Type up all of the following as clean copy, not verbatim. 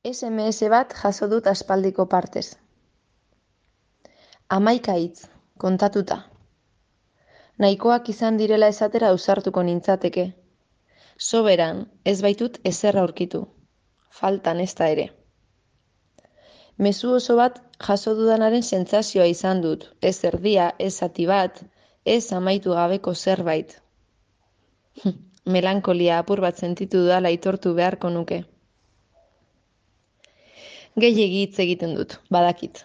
SMS bat jaso dut aspaldiko partez. 11 hitz, kontatuta. Nahikoak izan direla esatera ausartuko nintzateke. Soberan, ez baitut ezer aurkitu. Faltan ezta ere. Mezu oso bat jaso dudanaren sentsazioa izan dut. Ez erdia, ez zati bat, ez amaitu gabeko zerbait. Melankolia apur bat sentitu dudala aitortu beharko nuke. Gehiegi hitz egiten dut, badakit.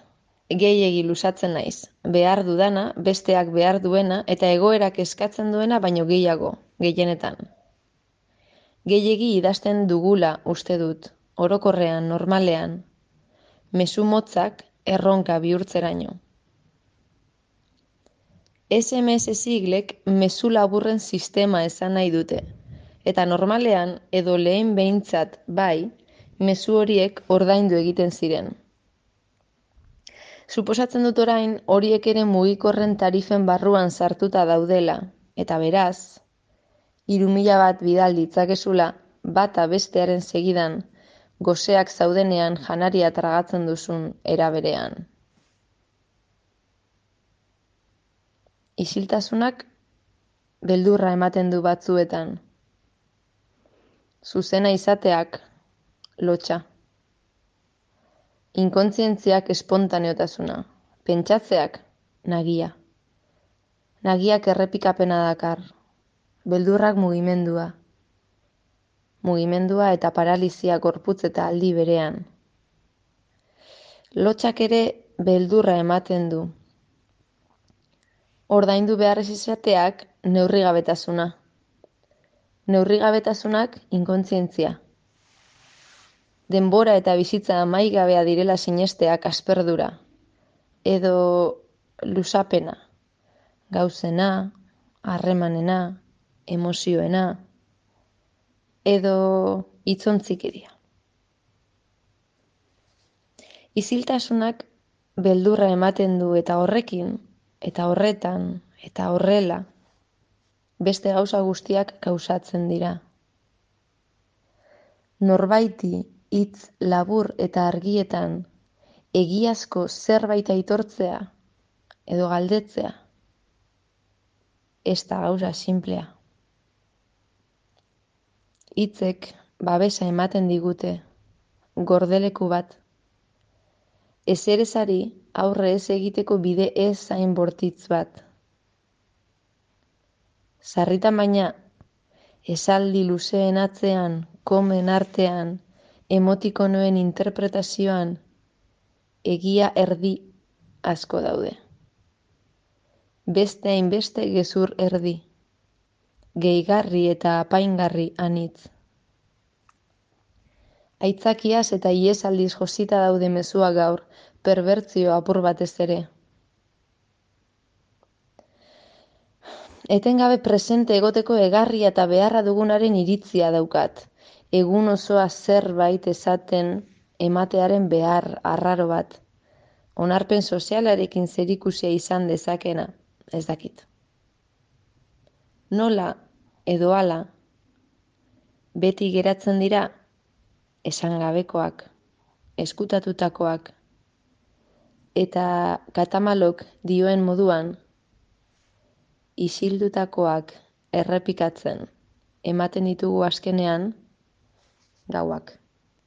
Gehiegi luzatzen naiz. Behar dudana, besteak behar duena eta egoerak eskatzen duena baino gehiago, gehienetan. Gehiegi idazten dugula uste dut, orokorrean, normalean. Mezu motzak erronka bihurtzeraino. SMS siglek mezu laburren sistema esan nahi dute. Eta normalean, edo lehen behintzat bai, mezu horiek ordaindu egiten ziren. Suposatzen dut orain horiek ere mugikorren tarifen barruan sartuta daudela, eta beraz, 3.000 bat bidal ditzakezula, bata bestearen segidan, goseak zaudenean janaria tragatzen duzun era berean. Isiltasunak beldurra ematen du batzuetan. Zuzena izateak lotsa. Inkontzientziak espontaneotasuna. Pentsatzeak nagia. Nagiak errepikapena dakar. Beldurrak mugimendua. Mugimendua eta paralizia gorputz eta aldi berean. Lotsak ere beldurra ematen du. Ordaindu behar ez izateak neurrigabetasuna. Neurrigabetasunak inkontzientzia. Denbora eta bizitza amaigabea direla sinesteak asperdura. Edo luzapena. Gauzena, harremanena, emozioena. Edo hitzontzikiria. Isiltasunak beldurra ematen du eta horrekin, eta horretan, eta horrela, beste gauza guztiak gauzatzen dira. Norbaiti hitz labur eta argietan egiazko zerbait aitortzea edo galdetzea, ez da gauza sinplea. Hitzek babesa ematen digute, gordeleku bat. Ezerezari aurre ez egiteko bide ez zain bortitz bat. Sarritan baina, esaldi luzeen atzean, komen artean, emotikonoen interpretazioan, egia erdi asko daude. Beste hainbeste gezur erdi, gehigarri eta apaingarri anitz. Aitzakiaz eta iesaldiz josita daude mezua gaur, perbertzio apur batez ere. Etengabe presente egoteko egarria eta beharra dugunaren iritzia daukat. Egun osoa zerbait esaten ematearen behar arraro bat. Onarpen sozialarekin zerikusia izan dezakena, ez dakit. Nola edo hala, beti geratzen dira esangabekoak, ezkutatutakoak, eta Katamalok dioen moduan, isildutakoak errepikatzen ematen ditugu azkenean gauak.